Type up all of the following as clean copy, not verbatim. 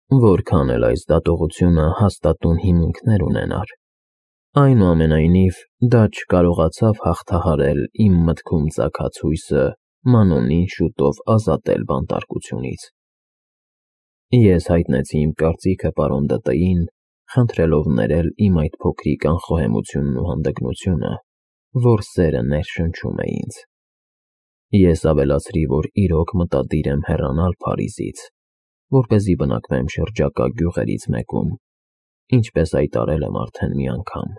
Որքան էլ այս դատողությունը հաստատուն հիմունքներ ունենար, այնուամենայնիվ դա չկարողացավ հաղթահարել իմ մտքում ծագած հույսը Մանոնին շուտով ազատել բանտարկությունից։ Ես հայտնեցի իմ կարծիքը պարոն Դտեին, խնդրելով ներել իմ այդ փոքրիկ անխոհեմությունն ու հանդգնությունը, որ սերը ներշնչում է ինձ։ Ես ավելացրի, որ իրոք մտադիր եմ հեռանալ Փարիզից, որպեսզի բնակվեմ շրջակա գյուղերից մեկում, ինչպես հայտարարել եմ արդեն մի անգամ։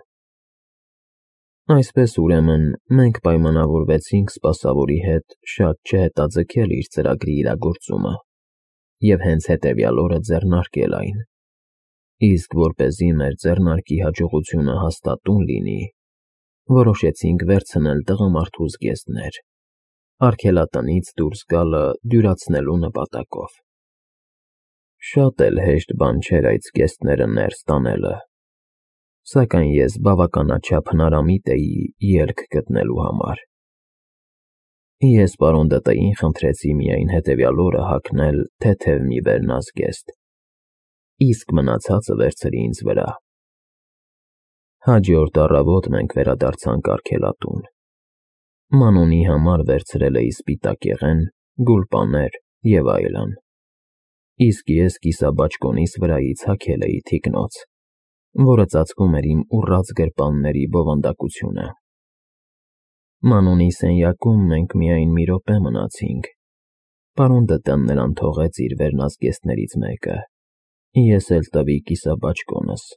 Այսպես, ուրեմն, մենք պայմանավորվեցինք սպասավորի հետ շատ չհետաձգել իր ծրագրի իրագործումը և հենց հետևյալ օրը ձեռնարկել այն, իսկ որպեսզի մեր ձեռնարկի հաջողությունը հաստատուն լինի, որոշեցինք վերցնել տղամարդու զգեստներ, արգելատնից դուրս գալը դյուրացնելու նպատակով։ Շատ էլ հեշտ բան չէր այդ զգեստները ներս տանելը, սակայն ես բավականաչափ հնարամիտ էի ելք գտնելու համար։ Ես պարոն Դտեին խնդրեցի միայն հետևյալ օրը հագնել թեթև մի վերնազգեստ, իսկ մնացածը վերցրի ինձ վրա։ Հաջորդ առավոտ մենք վերադարձանք արգելատուն։ Մանոնի համար վերցրել էի սպիտակեղեն, գուլպաներ և այլն, իսկ ես կիսաբաճկոնիս վրայից հագել էի թիկնոց, որը ծածկում էր իմ ուռած գրպանների բովանդակությունը։ Մանոնի սենյակում մենք միայն մի րոպե մնացինք։ Պարոն Դտեն նրան թողեց իր վերնազգեստներից մեկը, ես էլ տվի կիսաբաճկոնս։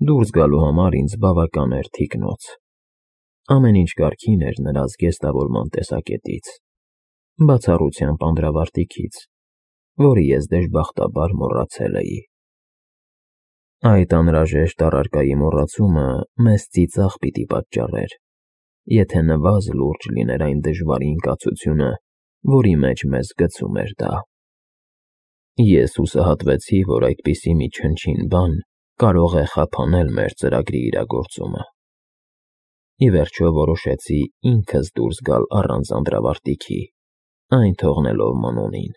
Դուրս գալու համար ինձ բավական էր թիկնոց։ Ամեն ինչ կարգին էր նրա զգեստավորման տեսակետից, բացառությամբ անդրավարտիքից, որը ես դժբախտաբար մոռացել էի։ Այդ անհրաժեշտ առարկայի մոռացումը մեզ ծիծաղ պիտի պատճառեր, եթե նվազ լուրջ լիներ այն դժվարին կացությունը, որի մեջ մեզ գցում էր դա։ Ես հուսահատվեցի, որ այդպիսի մի չնչին բան կարող է խափանել մեր ծրագրի իրագործումը։ Ի վերջո որոշեցի ինքս դուրս գալ առանց անդրավարտիքի, այն թողնելով Մանոնին։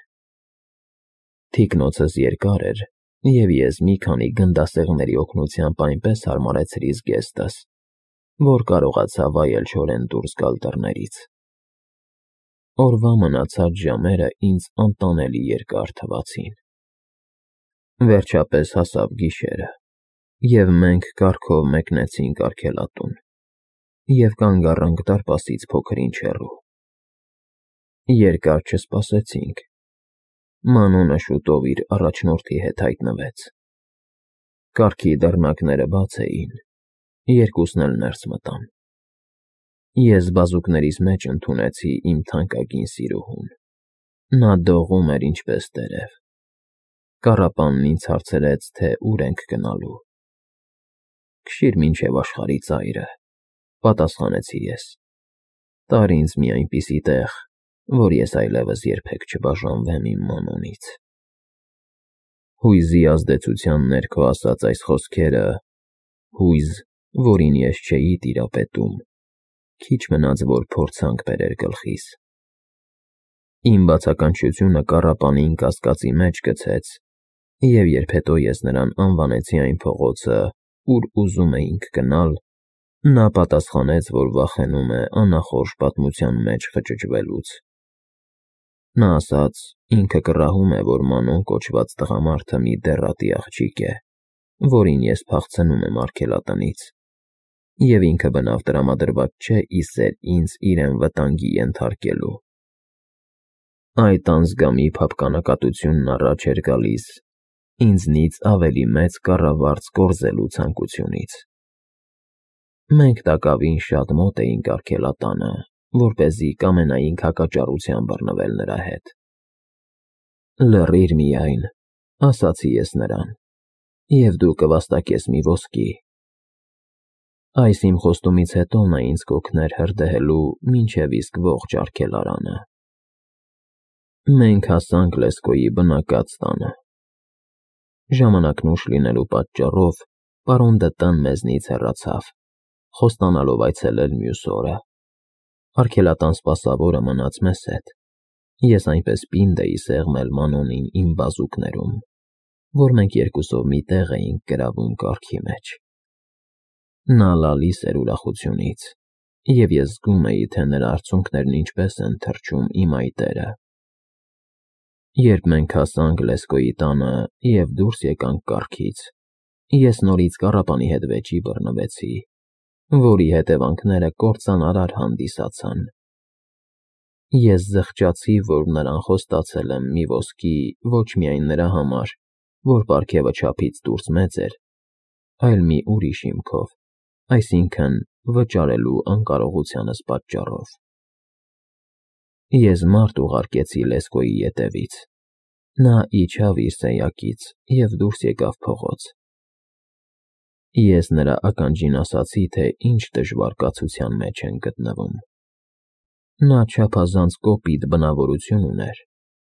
Թիկնոցս երկար էր, և ես մի քանի գնդասեղմերի օգնությամբ այնպես հարմարեցրի զգեստս, որ կարողացա վայելչորեն դուրս գալ դռներից։ Օրվա մնացած ժամերը ինձ անտանելի երկար թվացին։ Վերջապես հասավ գիշերը, և մենք կառքով մեկնեցինք արգելատուն և կանգ առանք դարպասից փոքր-ինչ հեռու։ Երկար չսպասեցինք։ Մանոնը շուտով իր առաջնորդի հետ հայտնվեց։ Կառքի դռնակները բաց էին, երկուսն էլ ներս մտան։ Ես բազուկներիս մեջ ընդունեցի իմ թանկագին սիրուհուն։ Նա դողում էր ինչպես տերև։ Կառապանն ինձ հարցրեց, թե ուր ենք գնալու։ «Քշիր մինչև աշխարհի ծայրը», պատասխանեցի ես։ «Տար ինձ մի այնպիսի տեղ, որ ես այլևս երբեք չբաժանվեմ իմ Մանոնից»։ Հույզի ազդեցության ներքո ասած այս խոսքերը, հույզ, որին ես չէի տիրապետում, քիչ մնաց, որ փորձանք բերեր գլխիս։ Իմ բացականչությունը կառապանին կասկածի մեջ գցեց, և երբ հետո ես նրան անվանեցի այն փողոցը, ուր ուզում էինք գնալ, նա պատասխանեց, որ վախենում է անախորժ պատմության մեջ խճճվելուց։ Նա ասաց, ինքը կռահում է, որ Մանոն կոչված տղամարդը մի դեռատի աղջիկ է, որին ես փախցնում եմ արգելատնից, և ինքը բնավ տրամադրված չէ ի սեր ինձ իրեն վտանգի ենթարկելու։ Այդ անզգամի փափկանակատությունն առաջ էր գալիս ինձնից ավելի մեծ կառավարծ կորզելու ցանկությունից։ Մենք տակավին շատ մոտ էինք արգելատանը, որպեսզի կամենայինք հակաճառության բռնվել նրա հետ։ «Լռիր միայն», ասացի ես նրան, «և դու կվաստակես մի ոսկի»։ Այս իմ խոստումից հետո նա ինձ կօգներ հրդեհելու մինչև իսկ ողջ արգելարանը։ Մենք հասանք Լեսկոյի բնակած տանը։ Ժամանակն ուշ լինելու պատճառով պարոն Դտեն մեզնից հեռացավ, խոստանալով այցելել մյուս օրը։ Արգելատան սպասավորը մնաց մեզ հետ։ Ես այնպես պինդ էի սեղմել Մանոնին իմ բազուկներում, որ մենք երկուսով մի տեղ էինք գրավում կառքի մեջ։ Նա լալիս էր ուրախությունից, և ես զգում էի, թե նրա արցունքներն ինչպես են թռչում իմ այտերը։ Երբ մենք հասանք Լեսկոյի տանը և դուրս եկանք կառքից, ես նորից կառապանի հետ վեճի բռնվեցի, որի հետևանքները կործանարար հանդիսացան։ Ես զղջացի, որ նրան խոստացել եմ մի ոսկի ոչ միայն նրա համար, որ պարգևը չափից դուրս մեծ էր, այլ մի ուրիշ հիմքով, այսինքն վճարելու անկարողությանս պատճառով։ Ես մարդ ուղարկեցի Լեսկոյի ետևից։ Նա իջավ իր սենյակից և դուրս եկավ փողոց։ Ես նրա ականջին ասացի, թե ինչ դժվար կացության մեջ ենք գտնվում։ Նա չափազանց կոպիտ բնավորություն ուներ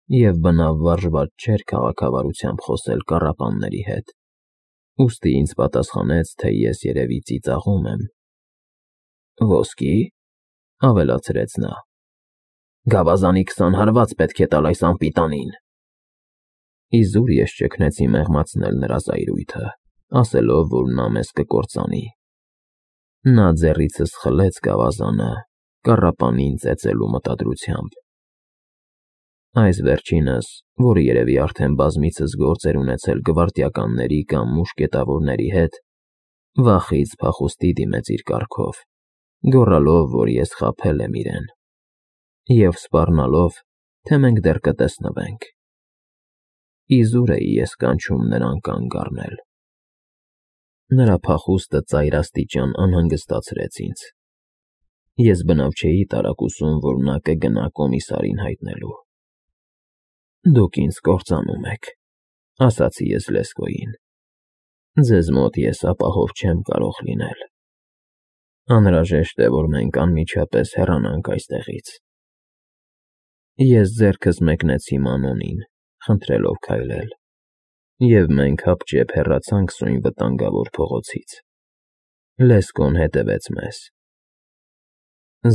և բնավ վարժված չէր քաղաքավարությամբ խոսել կառապանների հետ, ուստի ինձ պատասխանեց, թե ես երևի ծիծաղում եմ։ «Ոսկի՞, ավելացրեց նա, գավազանի 20 հարված պետք է տալ այս անպիտանին»։ Իզուր ես ճգնեցի մեղմացնել նրա զայրույթը, ասելով, որ նա մեզ կկործանի։ Նա ձեռիցս խլեց գավազանը, կառապանին ծեծելու մտադրությամբ։ Այս վերջինս, որը երևի արդեն բազմիցս գործ էր ունեցել գվարդիականների կամ մուշկետավորների հետ, վախից փախուստի դիմեց իր կառքով, գոռալով, որ ես խաբել եմ իրեն, և սպառնալով, թե մենք դեռ կտեսնվենք։ Իզուր էի ես կանչում նրան կանգ առնել։ Նրա փախուստը ծայրաստիճան անհանգստացրեց ինձ։ Ես բնավ չէի տարակուսում, որ նա կգնա կոմիսարին հայտնելու։ «Դուք ինձ կործանում եք», ասացի ես Լեսկոյին։ «Ձեզ մոտ ես ապահով չեմ կարող լինել։ Անհրաժեշտ է, որ մենք անմիջապես հեռանանք այստեղից»։ Ես ձեռքս մեկնեցի Մանոնին, խնդրելով քայլել, և մենք հապճեպ հեռացանք սույն վտանգավոր փողոցից։ Լեսկոն հետևեց մեզ։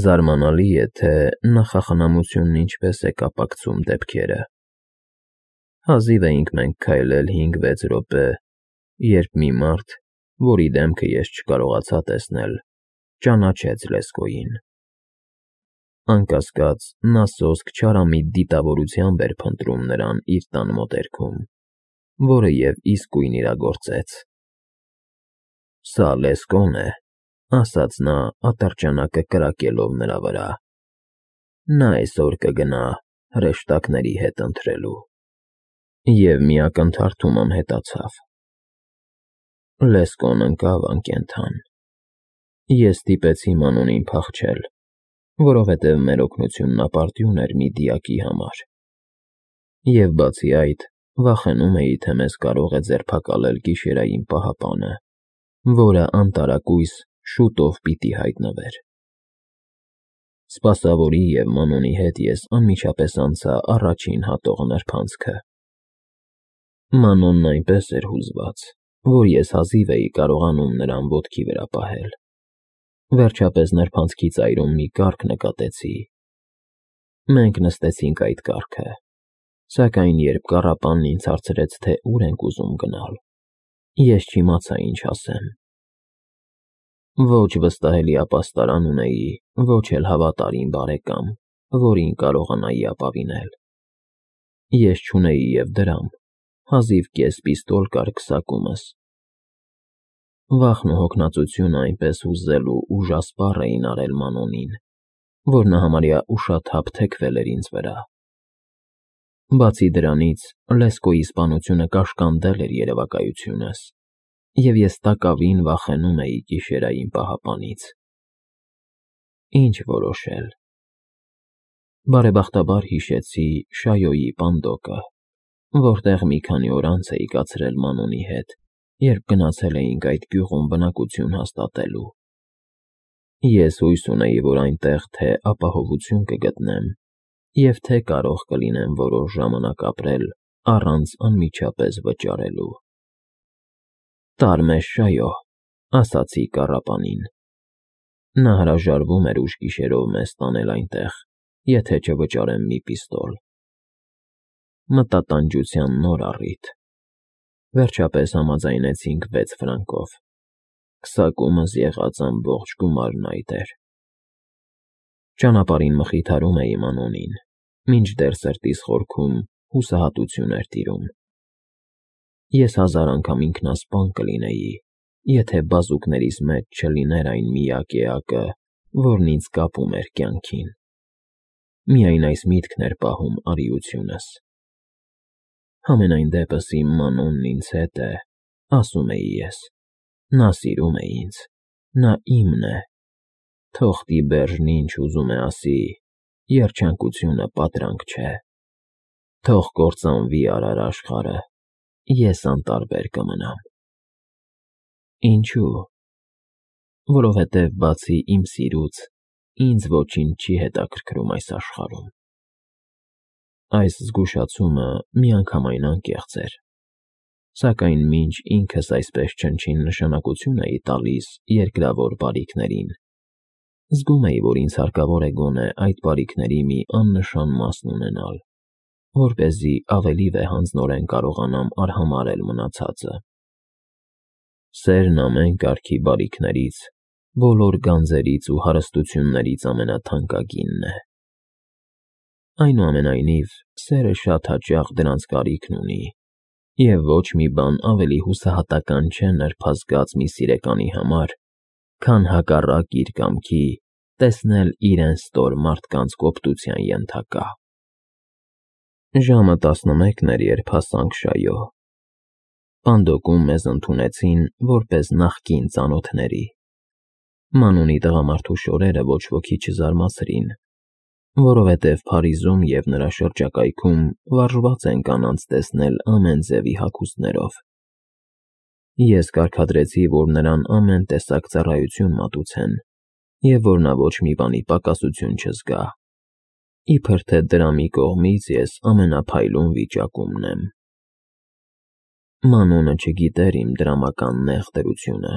Զարմանալի է, թե նախախնամությունն ինչպես է կապակցում դեպքերը։ Հազիվ էինք մենք քայլել 5-6 րոպե, երբ մի մարդ, որի դեմքը ես չկարողացա տեսնել, ճանաչեց Լեսկոյին։ Անկասկած, նա սոսկ չարամիտ դիտավորությամբ էր փնտրում նրան իր տան մոտերքում, որը և իսկույն իրագործեց։ «Սա Լեսկոն է», ասաց նա, ատրճանակը կրակելով նրա վրա։ «Նա այսօր կգնա հրեշտակների հետ ընթրելու»։ Եվ մի ակնթարթում անհետացավ։ Լեսկոն ընկավ անկենդան։ Ես ստիպեցի Մանոնին փախչել, որովհետև մեր օգնությունն ապարդյուն էր մի դիակի համար։ Եվ բացի այդ, վախենում էի, թե մեզ կարող է ձերբակալել գիշերային պահապանը, որը անտարակույս շուտով պիտի հայտնվեր։ Սպասավորի և Մանոնի հետ ես անմիջապես անցա առաջին հատող նրբանցքը։ Մանոնն այնպես էր հուզված, որ ես հազիվ էի կարողանում նրան ոտքի վրա պահել։ Վերջապես նրբանցքի ծայրում մի կառք նկատեցի։ Մենք նստեցինք այդ կառքը, սակայն երբ կառապանն ինձ հարցրեց, թե ուր ենք ուզում գնալ, ես չիմացա ինչ ասեմ։ Ոչ վստահելի ապաստարան ունեի, ոչ էլ հավատարիմ բարեկամ, որին կարողանայի ապավինել։ Ես չունեի և դրամ, հազիվ կես պիստոլ կար քսակումս։ Վախն ու հոգնածությունը այնպես հուզել ու ուժասպառ էին արել Մանոնին, որ նա համարյա ուշաթափ թեքվել էր ինձ վրա։ Բացի դրանից, Լեսկոյի սպանությունը կաշկանդել էր երևակայությունս, և ես տակավին վախենում էի գիշերային պահապանից։ Ինչ որոշել։ Բարեբախտաբար հիշեցի Շայոյի պանդոկը, որտեղ մի քանի օր անց էի կացրել Մանոնի հետ, երբ գնացել էինք այդ գյուղում բնակություն հաստատելու։ Ես հույս ունեի, որ այնտեղ թե ապահովություն կգտնեմ և թե կարող կլինեմ որոշ ժամանակ ապրել առանց անմիջապես վճարելու։ «Տար մեզ, Շայո», ասացի կառապանին։ Նա հրաժարվում էր ուշ գիշերով մեզ տանել այնտեղ, եթե չվճարեմ մի պիստոլ։ Մտատանջության նոր առիթ։ Վերջապես համաձայնեցինք 6 ֆրանկով։ Քսակումս եղած ամբողջ գումարն այդ էր։ Ճանապարհին մխիթարում էի Մանոնին, մինչդեռ սրտիս խորքում հուսահատություն էր տիրում։ Ես 1000 անգամ ինքնասպան կլինեի, եթե բազուկներիս մեջ չլիներ այն միակ էակը, որն ինձ կապում էր կյանքին։ Միայն այս միտքն էր պահում արիությունս։ Համենայն դեպս իմ Մանոնն ինձ հետ է, ասում էի ես։ Նա սիրում է ինձ, նա իմն է։ Թող Տիբերջն ինչ ուզում է ասի, երջանկությունը պատրանք չէ։ Թող կործանվի արար աշխարհը, ես անտարբեր կմնամ։ Ինչու՞։ Որովհետև բացի իմ սիրուց, ինձ ոչինչ չի հետաքրքրում այս աշխարհում։ Այս զգուշացումը միանգամայն անկեղծ էր, սակայն մինչ ինքս այսպես չնչին նշանակություն էի տալիս երկրավոր բարիքներին, զգում էի, որ ինձ հարկավոր է գոնե այդ բարիքների մի աննշան մասն ունենալ, որպեսզի ավելի վեհանձնորեն կարողանամ արհամարհել մնացածը։ Սերն ամեն կարգի բարիքներից, բոլոր գանձերից ու հարստություններից ամենաթանկագինն է։ Այնուամենայնիվ, սերը շատ հաճախ դրանց կարիքն ունի, և ոչ մի բան ավելի հուսահատական չէ նրբազգաց մի սիրեկանի համար, քան հակառակ իր կամքի տեսնել իրեն ստոր մարդկանց կոպտության ենթակա։ Ժամը 11 էր, երբ հասանք Շայո։ Պանդոկում մեզ ընդունեցին որպես նախկին ծանոթների։ Մանոնի տղամարդու շորերը ոչ ոքի չզարմացրին, որովհետև Փարիզում և նրա շրջակայքում վարժված են կանանց տեսնել ամեն ձևի հագուստներով։ Ես կարգադրեցի, որ նրան ամեն տեսակ ծառայություն մատուցեն, և որ նա ոչ մի բանի պակասություն չզգա, իբր թե դրամի կողմից ես ամենափայլուն վիճակումն եմ։ Մանոնը չգիտեր իմ դրամական նեղ դրությունը։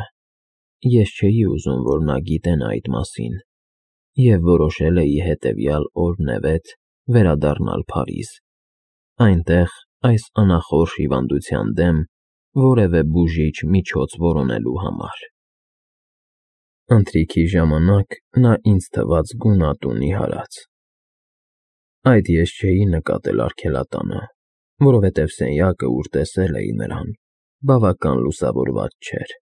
Ես չէի ուզում, որ նա գիտենա այդ մասին, և որոշել էի հետևյալ օրնևեթ վերադառնալ Փարիզ, այնտեղ այս անախորժ հիվանդության դեմ որևէ բուժիչ միջոց որոնելու համար։ Ընթրիքի ժամանակ նա ինձ թվաց գունատ ու նիհարած։ Այդ ես չէի նկատել արգելատանը, որովհետև սենյակը, ուր տեսել էի նրան, բավական լուսավորված չէր։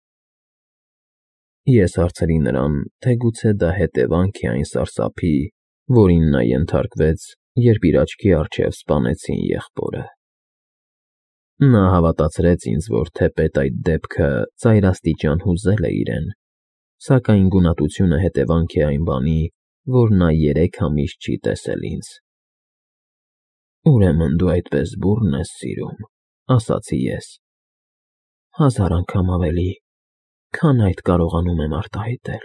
Ես հարցրի նրան, թե գուցե դա հետևանք է այն սարսափի, որին նա ենթարկվեց, երբ իր աչքի առջև սպանեցին եղբորը։ Նա հավատացրեց ինձ, որ թեպետ այդ դեպքը ծայրաստիճան հուզել է իրեն, սակայն գունատությունը հետևանք է այն բանի, որ նա 3 ամիս չի տեսել ինձ։ Ուրեմն դու այդպես բուռն ես սիրում, ասացի ես։ 1000 անգամ ավելի, քան այդ կարողանում եմ արտահայտել։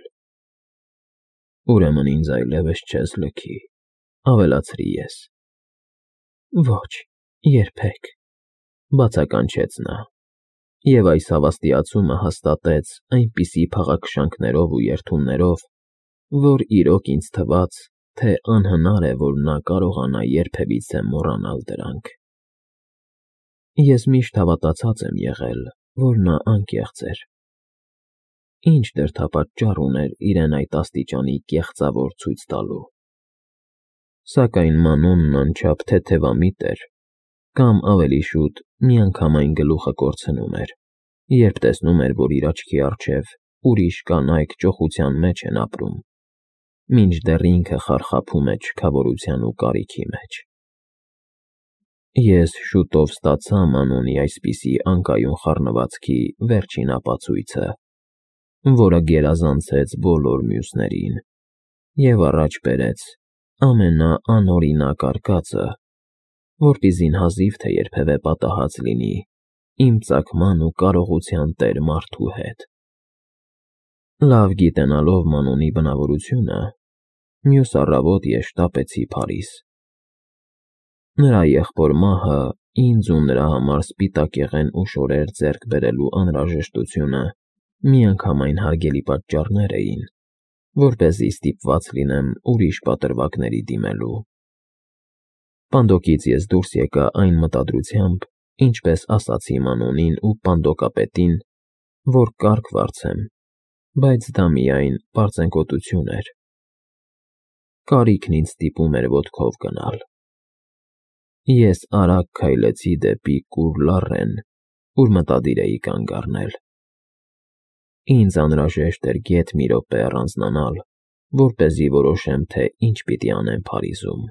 Ուրեմն ինձ այլևս չես լքի, ավելացրի ես։ Ոչ, երբեք, բացականչեց նա, և այս հավաստիացումը հաստատեց այնպիսի փաղաքշանքներով ու երդումներով, որ իրոք ինձ թվաց, թե անհնար է, որ նա կարողանա երբևիցե մոռանալ դրանք։ Ես միշտ հավատացած եմ եղել, որ նա անկեղծ էր։ Ինչ դրդապատճառ ուներ իրեն այդ աստիճանի կեղծավոր ցույց տալու։ Սակայն Մանոնն անչափ թեթևամիտ էր, կամ ավելի շուտ միանգամայն գլուխը կորցնում էր, երբ տեսնում էր, որ իր աչքի առջև ուրիշ կանայք ճոխության մեջ են ապրում, մինչդեռ ինքը խարխափում է չքավորության ու կարիքի մեջ։ Ես շուտով ստացա Մանոնի այսպիսի անկայուն խառնվածքի վերջին ապացույցը, որը գերազանցեց բոլոր մյուսներին և առաջ բերեց ամենաանօրինակ արկածը, որպեսզի հազիվ թե երբևէ պատահած լինի իմ ծագման ու կարողության տեր մարդու հետ։ Լավ գիտենալով Մանոնի բնավորությունը, մյուս առավոտ ես շտապեցի Փարիզ։ Նրա եղբոր մահը ինձ ու նրա համար սպիտակեղեն ու շորեր ձեռք բերելու անհրաժեշտությունը միանգամայն հարգելի պատճառներ էին, որպեսզի ստիպված լինեմ ուրիշ պատրվակների դիմելու։ Պանդոկից ես դուրս եկա այն մտադրությամբ, ինչպես ասացի Մանոնին ու Պանդոկապետին, որ կարգ վարձեմ, բայց դա միայն պարծենկոտություն էր։ Կարիքն ինձ ստիպում էր ոտքով գնալ։ Ես արագ քայլեցի դեպի կուռ լառեն, ուր մտադիր էի կանգ առնել։ Ինձ անհրաժեշտ էր գեթ մի րոպե առանձնանալ, որպեսզի որոշեմ, թե ինչ պիտի անեմ Փարիզում։